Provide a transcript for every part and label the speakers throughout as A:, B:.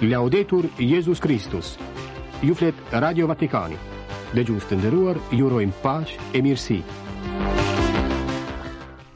A: Laudetur Jezus Kristus. Ju flet Radio Vatikani. Dëgjues të nderuar, ju urojmë paqe e mirësi.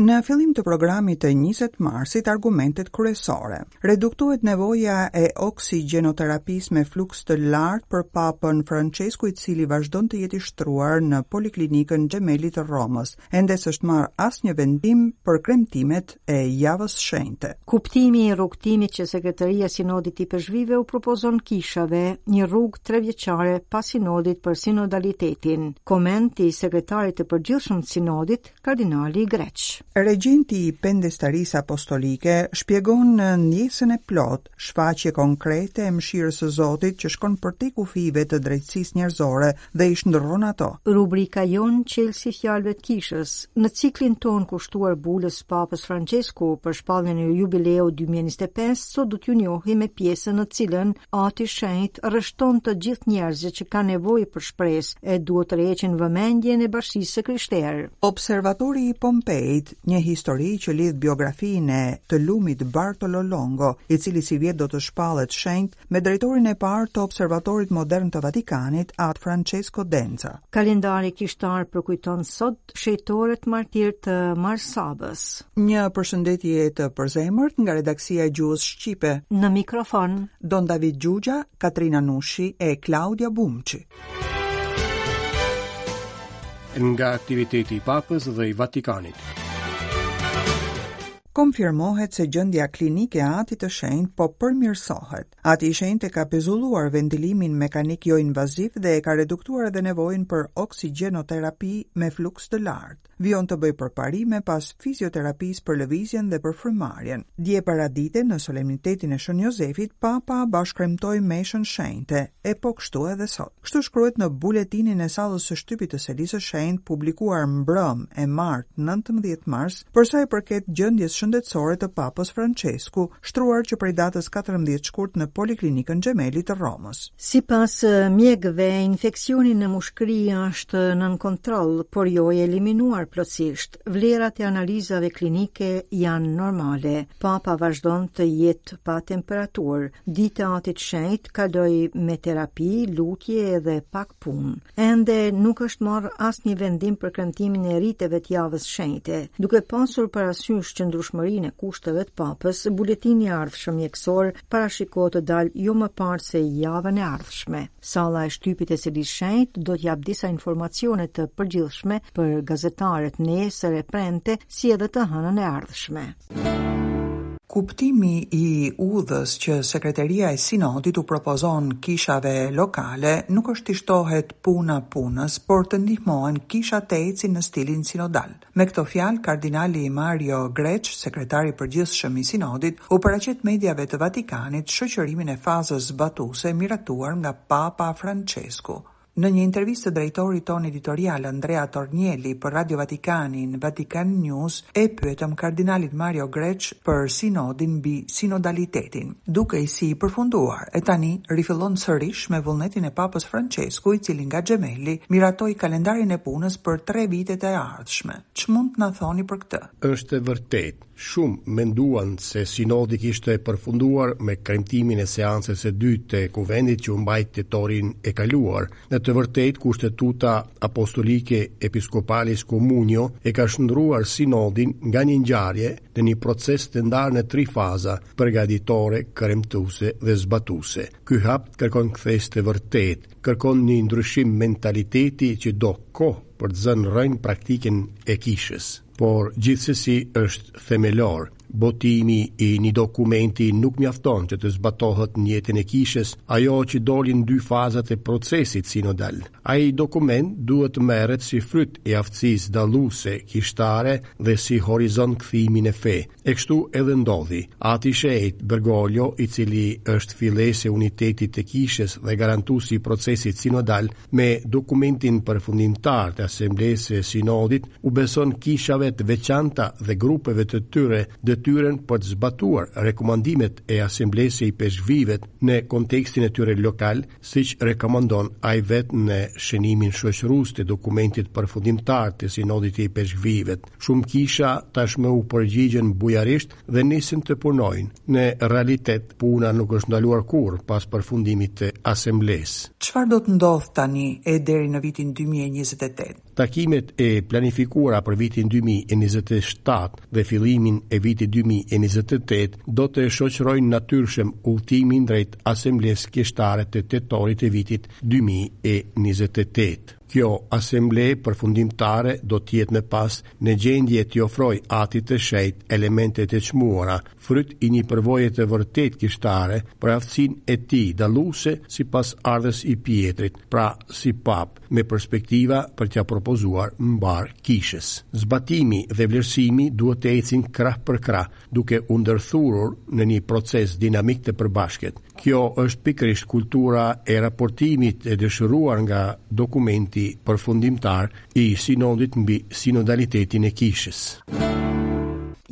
B: Në fillim të programit të 20 marsit, argumentet kryesore. Reduktohet nevoja e oksigenoterapisë me fluks të lartë për Papën Francesku, i cili vazhdon të jetë i shtruar në Poliklinikën Gemelli të Romës. Ende s'është marrë asnjë vendim për kremtimet e Javës Shenjte.
C: Kuptimi i rrugëtimit që Sekretaria e Sinodit të Ipeshkvijve u propozon kishave, një rrugë trevjeçare pas sinodit për sinodalitetin. Komenti i sekretarit të përgjithshëm të sinodit, kardinali Greç.
B: Regjenti i Pendestarisë Apostolike shpjegon ndjesën e plotë, shfaqje konkrete e mëshirës së Zotit që shkon përtej kufijve të drejtësisë njerëzore dhe i shndërron
C: ato. Rubrika jonë Çelësi i fjalëve të kishës, në ciklin tonë kushtuar bulës së Papës Françesku për shpalljen e jubileut 2025, sot do t'ju njohim me pjesën në të cilën Ati i Shenjtë rreshton të gjithë njerëzit që kanë nevojë për shpresë e duhet të tërheqin vëmendjen e bashkësisë së krishterë.
B: Observatori i Pompeit, një histori që lidh biografinë e të lumit Bartolo Longo, i cili sivjet do të shpallet shenjt, me drejtorin e parë të Observatorit Modern të Vatikanit, At Francesco Denza.
C: Kalendari kishtar përkujton sot shenjtorët martirë të Mar Sabës.
B: Një përshëndetje të përzemërt nga redaksia e Gjuhës Shqipe.
C: Në mikrofon,
B: Don David Xhuxha, Katrina Nushi e Klaudia Bumçi.
A: Nga aktiviteti i Papës dhe i Vatikanit.
B: Konfirmohet se gjendja klinike e Atit të Shenjtë po përmirësohet. Ati i Shenjtë e ka pezulluar ventilimin mekanik joinvaziv dhe e ka reduktuar edhe nevojën për oksigenoterapi me fluks të lartë. Vijon të bëjë përparime pas fizioterapisë për lëvizjen dhe për frymëmarrjen. Dje paradite, në solemnitetin e Shën Jozefit, Papa bashkëkremtoi meshën shenjte, e po kështu edhe sot. Kështu shkruhet në buletinin e sallës së shtypit të Selisë së Shenjtë, publikuar mbrëmë, e martë, 19 mars, për sa i përket gjendjes shëndetësore të Papës Françesku, shtruar që prej datës 14 shkurt në Poliklinikën Gemelli të Romës.
C: Sipas mjekëve, infeksioni në mushkëri është nën kontroll, por jo i eliminuar plotësisht. Vlerat e analizave klinike janë normale. Papa vazhdon të jetë pa temperaturë. Dita e Atit të Shenjtë kaloi me terapi, lutje edhe pak punë. Ende nuk është marrë asnjë vendim për kremtimin e riteve të javës shenjte. Duke pasur parasysh qëndrueshmërinë e kushteve të Papës, buletini i ardhshëm mjekësor parashikohet të dalë jo më parë se javën e ardhshme. Salla e shtypit e Selisë Shenjtë do të japë disa informacione të përgjithshme për gazetarët nesër e premte, si edhe të hënën e ardhshme.
B: Kuptimi i udhës që Sekreteria e Sinodit u propozon kishave lokale nuk është t'i shtohet puna punës, por të ndihmohen kishat të ecin në stilin sinodal. Me këto fjalë, kardinali Mario Grech, sekretar i përgjithshëm i Sinodit, u paraqet mediave të Vatikanit shoqërimin e fazës zbatuese miratuar nga Papa Françesku. Në një intervistë të drejtorit tonë editorial Andrea Tornielli për Radio Vatikanin, Vatican News, e pyetëm kardinalin Mario Grech për sinodin mbi sinodalitetin. Dukej si i përfunduar, e tani rifillon sërish me vullnetin e Papës Françesku, i cili nga Gemelli miratoi kalendarin e punës për tre vitet e ardhshme. Ç'mund të na thoni për
A: këtë? Është e vërtetë. Shumë menduan se sinodi kishte përfunduar me kremtimin e seancës së dytë të Kuvendit që u mbajt tetorin e kaluar. Në të vërtetë, Kushtetuta Apostolike Episcopalis Communio e ka shndërruar sinodin nga një ngjarje në një proces të ndarë në tri faza, përgatitore, kremtuese dhe zbatuese. Ky hap kërkon kthesë të vërtetë, kërkon një ndryshim mentaliteti që do kohë për të zënë rrënjë në praktikën e kishës. Por gjithsesi është themelor. Botimi i një dokumenti nuk mjafton që të zbatohet në jetën e kishës, ajo që doli në dy fazat e procesit sinodal. Ai dokument duhet të merret si fryt i aftësisë dalluese kishtare dhe si horizont kthimi në fe. E kështu edhe ndodhi. Ati i Shenjtë Bergoglio, i cili është fillesë e unitetit të kishës dhe garantuesi i procesit sinodal, Me dokumentin përfundimtar të Asamblesë së Sinodit u beson kishave të veçanta dhe grupeve të tyre detyrën. detyrën për të zbatuar rekomandimet e Asamblesë së Ipeshkvijve në kontekstin e tyre lokal, siç rekomandon ai vetë në shënimin shoqërues të dokumentit përfundimtar të Sinodit të Ipeshkvijve. Shumë kisha tashmë u përgjigjën bujarisht dhe nisën të punojnë. Në realitet, puna nuk është ndaluar kurrë pas përfundimit të Asamblesë.
B: Çfarë do të ndodhë tani e deri në vitin 2028?
A: Takimet e planifikuara për vitin 2027 dhe fillimin e vitit 2028 do të shoqërojnë natyrshëm udhëtimin drejt Asamblesë Kishtare të tetorit të vitit 2028. Kjo asamble përfundimtare do të jetë më pas në gjendje t'i ofrojë Atit të Shenjtë elemente të çmuara, fryt i një përvoje të vërtetë kishtare për aftësinë e tij dalluese si pasardhës i Pjetrit, pra si Papë, me perspektiva për t'ia propozuar mbarë Kishës. Zbatimi dhe vlerësimi duhet të ecin krah për krah, duke u ndërthurur në një proces dinamik të përbashkët. Kjo është pikërisht kultura e raportimit e dëshiruar nga dokumenti përfundimtar i Sinodit mbi sinodalitetin e Kishës.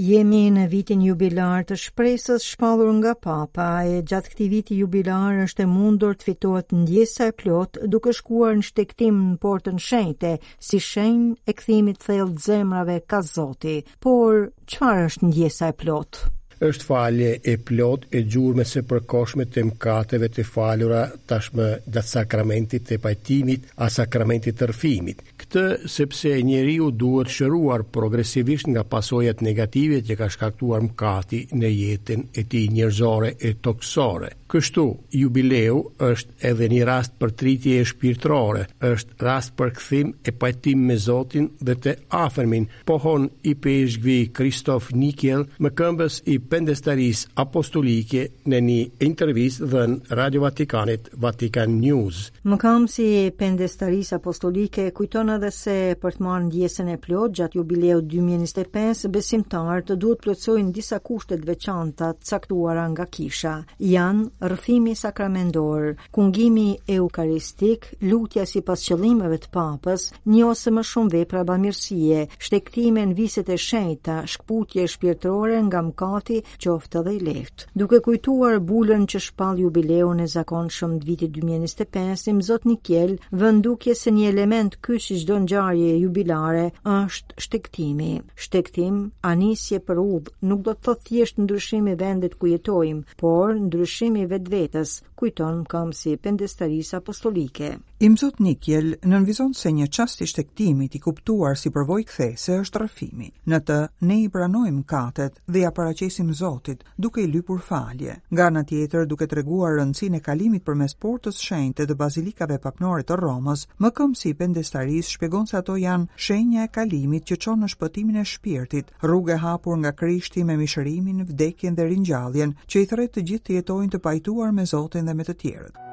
C: Jemi në vitin jubilar të shpresës shpallur nga Papa e gjatë këtij viti jubilar është e mundur të fitohet ndjesa e plotë duke shkuar në shtegtim në portën shenjte si shenjë e kthimit thellë të zemrave ka Zoti. Por, çfarë është ndjesa e
A: plotë? Është falje e plotë e gjurmës së përkohshme të mëkateve të falura tashmë gjatë sakramentit të pajtimit a sakramentit të rrëfimit. Këtë sepse njeriu duhet shëruar progresivisht nga pasojat negative që ka shkaktuar mëkati në jetën e tij njerëzore e tokësore. Kështu, jubileu është edhe një rast përtëritjeje shpirtërore, është rast për kthim e pajtim me Zotin dhe të afërmin, pohon ipeshkvi Kristof Nikiel, mëkëmbës i Pendestarisë Apostolike në një intervistë dhënë Radio Vatikanit, Vatican News.
C: Mëkëmbësi i Pendestarisë Apostolike kujton edhe se për të marrë ndjesën e plotë gjatë jubileut 2025, besimtarët duhet të plotësojnë disa kushte të veçanta të caktuara nga kisha. Janë rrëfimi sakramendor, Kungimi eukaristik, lutja sipas qëllimeve të Papës, një ose më shumë vepra bamirësie, shtegtime në viset e shenjta, shkëputje shpirtërore nga mëkati, qoftë edhe i lehtë. Duke kujtuar bulën që shpall jubileun e zakonshëm të vitit 2025, Imzot Nikiel vë në dukje se një element kyç i çdo ngjarje jubilare është shtegtimi. Shtegtim, a nisje për udhë, nuk do të thotë thjesht ndryshim i vendit ku jetojmë, por ndryshim i vetvetes, kujton mëkëmbësi i Pendestarisë Apostolike.
B: Imzot Nikiel nënvizon se një çast i shtegtimit i kuptuar si përvojë kthese është rrëfimi. Në të, ne i pranojmë mëkatet dhe ia paraqesim Zotit, duke i lypur falje. Nga ana tjetër, duke treguar rëndësinë e kalimit përmes Portës Shenjte të Bazilikave Papnore të Romës, mëkëmbësi i Pendestarisë shpjegon se ato janë shenja e kalimit që çon në shpëtimin e shpirtit, Rrugë e hapur nga Krishti me mishërimin, vdekjen dhe ringjalljen, që i thërret të gjithë të jetojnë të pajtuar me Zotin dhe me të
A: tjerët.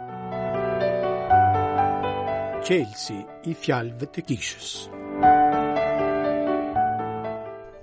A: Çelësi i fjalëve të kishës.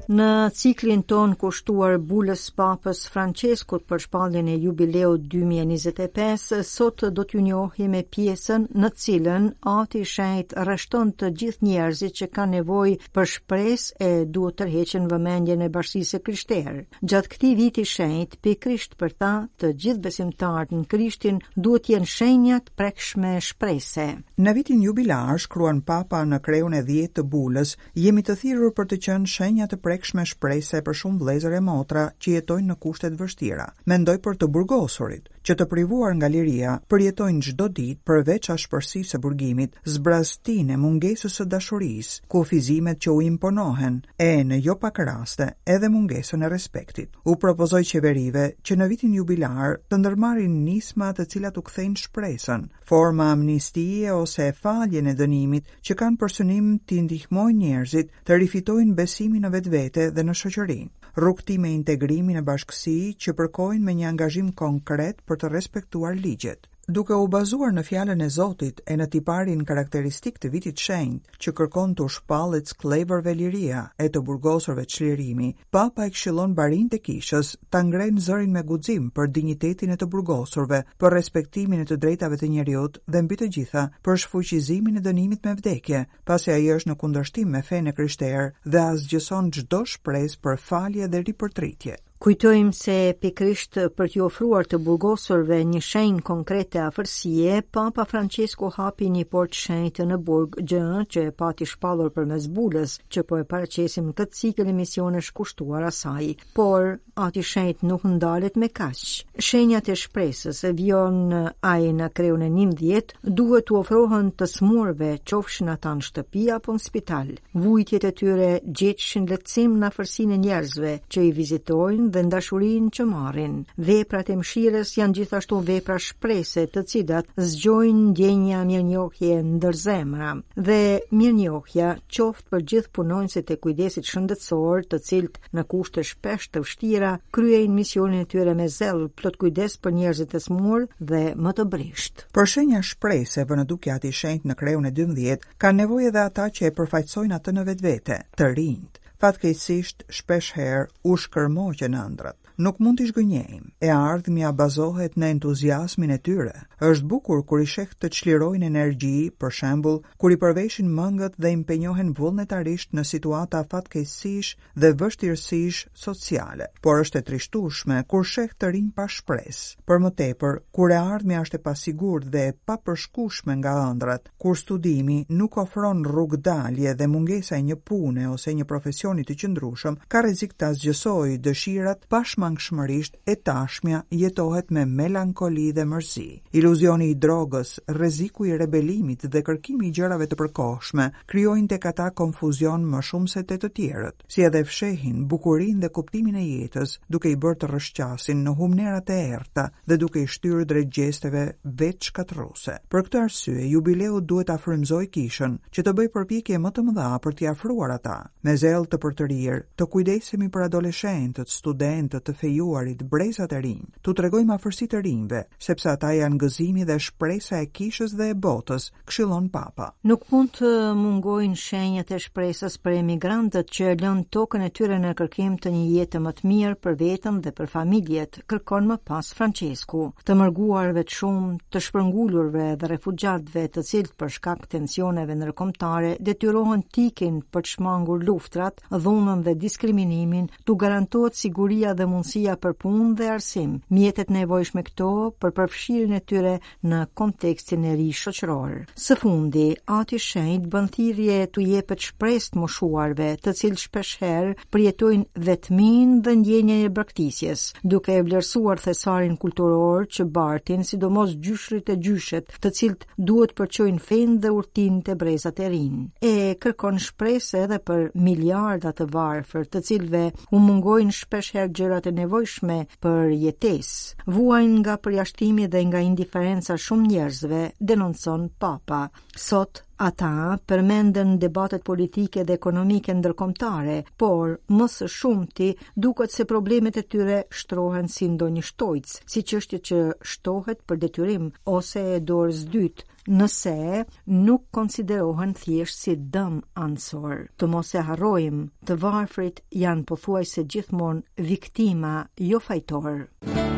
C: Në ciklin tonë kushtuar bulës Papës Françeskut për shpalljen e jubileut 2025, sot do t'ju njohim me pjesën në të cilën Ati i Shenjtë rreshton të gjithë njerëzit që kanë nevojë për shpresë e duhet të tërheqin vëmendjen e bashkësisë së krishterë. Gjatë këtij viti të shenjtë, pikërisht për ta, të gjithë besimtarët në Krishtin duhet të jenë shenja të prekshme shprese.
B: Në vitin jubilar, shkruan Papa në kreun e dhjetë të bulës, jemi të thirrur për të qenë shenja të prekshme shprese për shumë vëllezër e motra që jetojnë në kushte të vështira. Mendoj për të burgosurit, që të privuar nga liria, përjetojnë çdo ditë, përveç ashpërsisë së burgimit, zbrazëtinë e mungesës së dashurisë, kufizimet që u imponohen, e, në jo pak raste, edhe mungesën e respektit. U propozoj qeverive që në vitin jubilar të ndërmarrin nisma të cilat u kthejnë shpresën, forma amnistie ose faljen e dënimit që kanë për synim t'i ndihmojnë njerëzit të rifitojnë besimin në vetvete dhe në shoqëri. Rrugëtime integrimi në bashkësi që përkojnë me një angazhim konkret për të respektuar ligjet. Duke u bazuar në fjalën e Zotit e në tiparin karakteristik të vitit të shenjtë, që kërkon t'u shpallet skllevërve liria e të burgosurve çlirimi, Papa i këshillon barinjtë e Kishës ta ngrenë zërin me guxim për dinjitetin e të burgosurve, për respektimin e të drejtave të njeriut dhe mbi të gjitha për shfuqizimin e dënimit me vdekje, pasi ai është në kundërshtim me fenë e krishterë dhe asgjëson çdo shpresë për falje dhe ripërtritje.
C: Kujtojmë se pikërisht për t'iu ofruar të burgosurve një shenjë konkrete afërsie, Papa Francesku hapi një portë të shenjtë në burg, gjë që e pati shpallur përmes bulës, që po e paraqesim në këtë cikël emisionesh kushtuar asaj. Por, Ati i Shenjtë nuk ndalet me kaq. Shenjat e shpresës, vijon ai në kreun e 11, duhet t'u ofrohen të sëmurëve, qofshin ata në shtëpi apo në spital. Vujtjet e tyre gjetshin lehtësim në afërsinë e njerëzve që i vizitojnë dhe në dashurinë që marrin. Veprat e mëshirës janë gjithashtu vepra shprese, të cilat zgjojnë ndjenja mirënjohje ndër zemra. Dhe mirënjohja qoftë për gjithë punonjësit e kujdesit shëndetësor, të cilët në kushte shpesh të vështira kryejnë misionin e tyre me zell, plot kujdes për njerëzit e sëmurë dhe më të
B: brishtë. Për shenja shprese vë në dukje Ati i Shenjtë në kreun e 12, Kanë nevojë edhe ata që e përfaqësojnë atë në vetvete, të rinjtë. Fatkeqësisht, shpeshherë u shkërmoqen ëndrrat. Nuk mund t'i zhgënjejmë. E ardhmja bazohet në entuziazmin e tyre. Është bukur kur i sheh të çlirojnë energji, për shembull, kur i përveshin mëngët dhe impenjohen vullnetarisht në situata fatkeqësish dhe vështirësish sociale. Por është e trishtueshme kur sheh të rinj pa shpresë. Për më tepër, kur e ardhmja është e pasigurt dhe e papërshkueshme nga ëndrrat, Kur studimi nuk ofron rrugëdalje dhe mungesa e një pune ose një profesioni të qëndrueshëm ka rrezik të asgjësojë dëshirat, pashmangshmërisht e tashmja jetohet me melankoli dhe mërzi. Iluzioni i drogës, rreziku i rebelimit dhe kërkimi i gjërave të përkohshme krijojnë tek ata konfuzion më shumë se te të tjerët, si edhe fshehin bukurinë dhe kuptimin e jetës, duke i bërë të rrëshqasin në humnera të errëta dhe duke i shtyrë drejt gjesteve vetëshkatërruese. Për këtë arsye, jubileu duhet ta frymëzojë kishën që të bëjë përpjekje më të mëdha për t'i afruar ata. Me zell të përtërirë, të kujdesemi për adoleshentët, studentët, të fejuarit, brezat e rinj, t'u tregojmë afërsi të rinjve, sepse ata janë gëzimi dhe shpresa e kishës dhe e botës, këshillon Papa.
C: Nuk mund të mungojnë shenjat e shpresës për emigrantët që lënë tokën e tyre në kërkim të një jete më të mirë për veten dhe për familjet, kërkon më pas Françesku. Të mërguarve të shumtë, të shpërngulurve dhe refugjatëve, të cilët për shkak tensioneve ndërkombëtare detyrohen të ikin për të shmangur luftrat, dhunën dhe diskriminimin, t'u garantohet siguria dhe mundësia për punë dhe arsim, mjetet e nevojshme këto për përfshirjen e tyre në kontekstin e ri shoqëror. Së fundi, Ati i Shenjtë bën thirrje t'u jepet shpresë të moshuarve, të cilët shpeshherë përjetojnë vetminë dhe ndjenjën e braktisjes, duke e vlerësuar thesarin kulturor që bartin, sidomos gjyshërit e gjyshet, të cilët duhet të përçojnë fenë dhe urtinë te brezat e rinj. E kërkon shpresë edhe për miliarda të varfër, të cilëve u mungojnë shpeshherë gjërat e nevojshme për jetesë. Vuajnë nga përjashtimi dhe nga indiferenca e shumë njerëzve, denoncon Papa. Sot ata përmenden në debatet politike dhe ekonomike ndërkombëtare, por më së shumti duket se problemet e tyre shtrohen si ndonjë shtojcë, si çështje që shtohet për detyrim ose e dorës dytë, nëse nuk konsiderohen thjesht si dëm anësor. Të mos e harrojmë, të varfrit janë pothuajse gjithmonë viktima, jo fajtorë.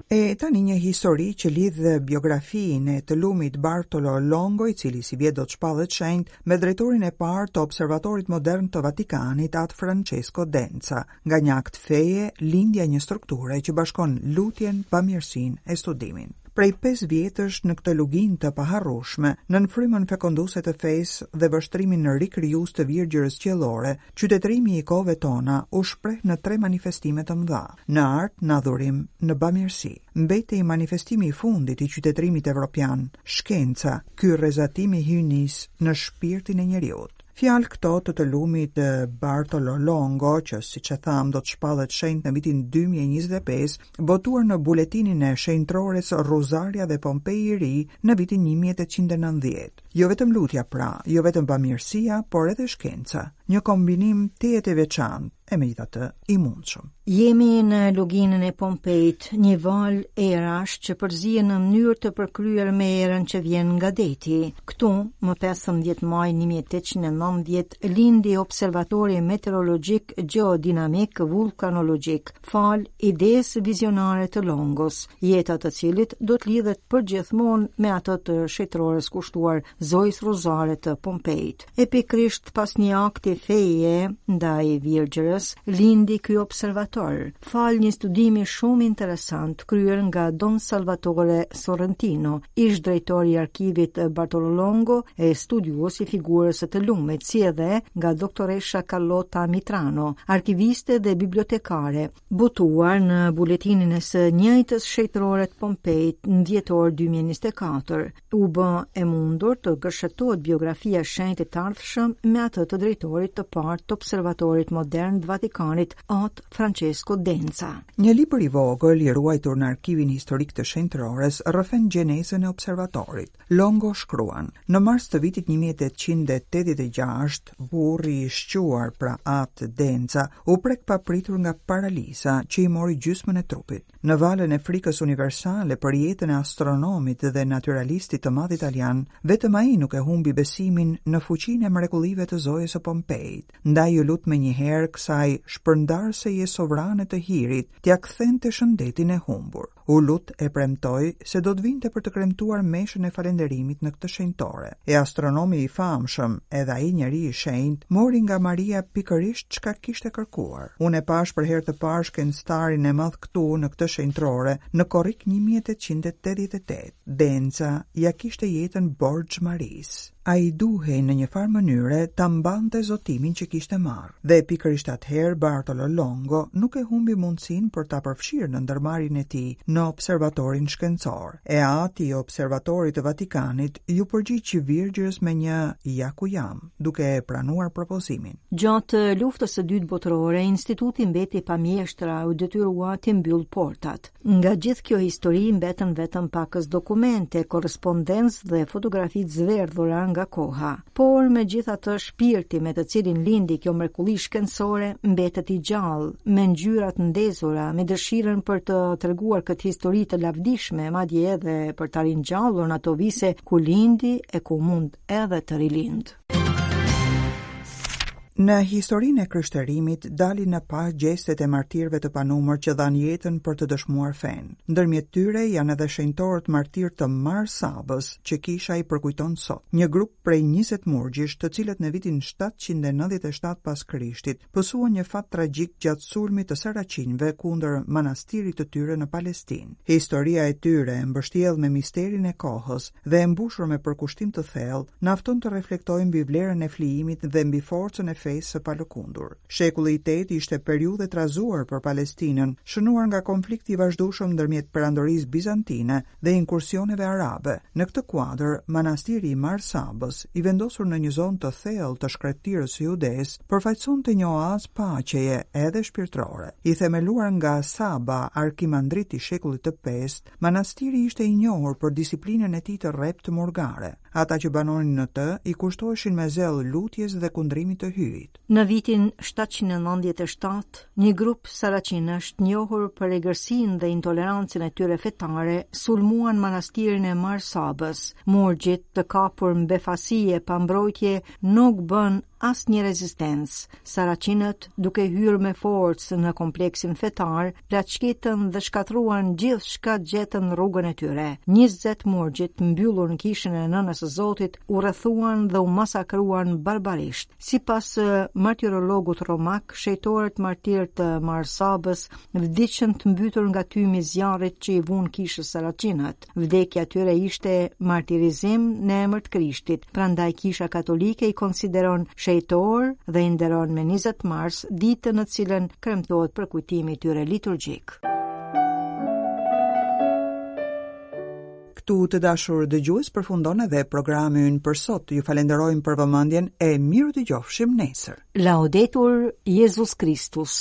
B: E tani një histori që lidh biografinë e të lumit Bartolo Longo, i cili sivjet do të shpallet shenjt, me drejtorin e parë të Observatorit Modern të Vatikanit, Atë Francesco Denza, nga një akt feje, lindja e një strukture që bashkon lutjen, bamirësinë e studimin. Prej 5 vjetësh në këtë luginë të paharrueshme, nën frymën fekonduese të fesë dhe vështrimin rikrijues të Virgjërës Qiellore, qytetërimi i kohëve tona u shpreh në tre manifestime të mëdha: në art, në adhurim, në bamirësi. Mbetej manifestimi i fundit i qytetërimit evropian, shkenca, ky rrezatim i hyjnisë në shpirtin e njeriut. Fjalë këto të të lumit Bartolo Longo, që siç e thamë do të shpallet shenjt në vitin 2025, botuar në buletinin e shenjtërores Ruzaria dhe Pompei i Ri në vitin 1890. Jo vetëm lutja pra, jo vetëm bamirësia, por edhe shkenca. Një kombinim tejet i veçantë. E megjithatë, i mundshëm.
C: Jemi në luginën e Pompeit, një valë erash që përzihen në mënyrë të përkryer me erën që vjen nga deti. Këtu, më 15 maj 1890, lindi observatori meteorologjik gjeodinamik vullkanologjik, falë idesë vizionare të Longos, jeta e të cilit do të lidhet përgjithmonë me atë të shenjtërores kushtuar Zojës Rozare të Pompeit. E pikërisht pas një akti feje ndaj Virgjërës, lindi ky observator, falë një studimi shumë interesant kryer nga Don Salvatore Sorrentino, ish drejtor i arkivit Bartolo Longo e studiues i figurës së të lumit, si edhe nga doktoresha Carlotta Mitrano, arkiviste dhe bibliotekare, botuar në buletinin e së njëjtës shenjtërore të Pompeit në dhjetor 2024. U bë e mundur të gërshetohet biografia e shenjtit të ardhshëm me atë të drejtorit të parë të Observatorit Modern të Vatikanit, At Francesco Denza.
B: Një libër i vogël i ruajtur në arkivin historik të shenjtërores rrëfen gjenezën e observatorit. Longo shkruan: Në mars të vitit 1886, burri i shquar, pra At Denza, u prek papritur nga paraliza që i mori gjysmën e trupit. Në valën e frikës universale për jetën e astronomit dhe natyralistit të madh italian, vetëm ai nuk e humbi besimin në fuqinë e mrekullive të Zojës së Pompeit, ndaj iu lut menjëherë kësaj shpërndarëseje sovrane të hirit t'ia kthente shëndetin e humbur. U lut e premtoi se do të vinte për të kremtuar meshën e falënderimit në këtë shenjtore. E astronomi i famshëm, edhe ai njeri i shenjtë, mori nga Maria pikërisht çka kishte kërkuar. Unë e pashë për herë të parë shkencëtarin e madh këtu në këtë shenjtërore në korrik 1888. Denza ia kishte jetën borxh Marisë. Ai duhej në një farë mënyre ta mbante zotimin që kishte marrë. Dhe pikërisht atëherë Bartolo Longo nuk e humbi mundësinë për ta përfshirë në ndërmarrjen e tij në observatorin shkencor. E ati i observatorit të Vatikanit iu përgjigj Virgjërës me një ja ku jam, duke e pranuar propozimin.
C: Gjatë Luftës së Dytë Botërore, instituti mbeti pa mjeshtra e u detyrua t'i mbyllë portat. Nga gjithë kjo histori mbetën vetëm pakëz dokumente, korrespondencë dhe fotografi të zverdhura nga koha. Por megjithatë shpirti me të cilin lindi kjo mrekulli shkencore mbetet i gjallë, me ngjyra të ndezura, me dëshirën për të treguar këtë histori të lavdishme, madje edhe për ta ringjallur në ato vise ku lindi e ku mund edhe të
B: rilindë. Në historinë e krishterimit dalin në pah gjestet e martirëve të panumër që dhanë jetën për të dëshmuar fenë. Ndërmjet tyre janë edhe shenjtorët martirë të Mar Sabës, që kisha i përkujton sot. Një grup prej 20 murgjish, të cilët në vitin 797 pas Krishtit, pësuan një fat tragjik gjatë sulmit të saracinëve kundër manastirit të tyre në Palestinë. Historia e tyre, e mbështjellë me misterin e kohës, dhe e mbushur me përkushtim të thellë, na fton të reflektojmë mbi vlerën e flijimit dhe mbi forcën e fesë së palëkundur. Shekulli i tetë ishte periudhë e trazuar për Palestinën, shënuar nga konflikti i vazhdueshëm ndërmjet Perandorisë Bizantine dhe inkursioneve arabe. Në këtë kuadër, manastiri i Mar Sabës, i vendosur në një zonë të thellë të shkretëtirës së Judesë, përfaqësonte një oazë paqeje edhe shpirtërore. I themeluar nga Saba, arkimandrit i shekullit të pestë, Manastiri ishte i njohur për disiplinën e tij të rreptë murgare. Ata që banonin në të i kushtoheshin me zell lutjes dhe kundrimit të Hyjit.
C: Në vitin 797, një grup saracinësh të njohur për egërsinë dhe intolerancën e tyre fetare sulmuan manastirin e Mar Sabës. Murgjit të kapur në befasi e pa mbrojtje nuk bënë asnjë rezistencë. Saracinët, duke hyrë me forcë në kompleksin fetar, plaçkitën dhe shkatërruan gjithçka gjetën në rrugën e tyre. 20 murgjit të mbyllur në kishën e Nënës së Zotit u rrethuan dhe u masakruan barbarisht. Sipas martirologut romak, shenjtorët martirë të Mar Sabës vdiqën të mbytur nga tymi i zjarrit që i vunë kishës saracinët. Vdekja e tyre ishte martirizim në emër të Krishtit, prandaj Kisha Katolike i konsideron shenjtorë dhe i nderon me 20 mars, ditën në të cilën kremtohet përkujtimi i tyre liturgjik.
B: Këtu të dashur dëgjues përfundon edhe programi ynë për sot. Ju falenderojmë për vëmendjen e mirudëgjofshim nesër.
C: Laudetur Jezus Kristus.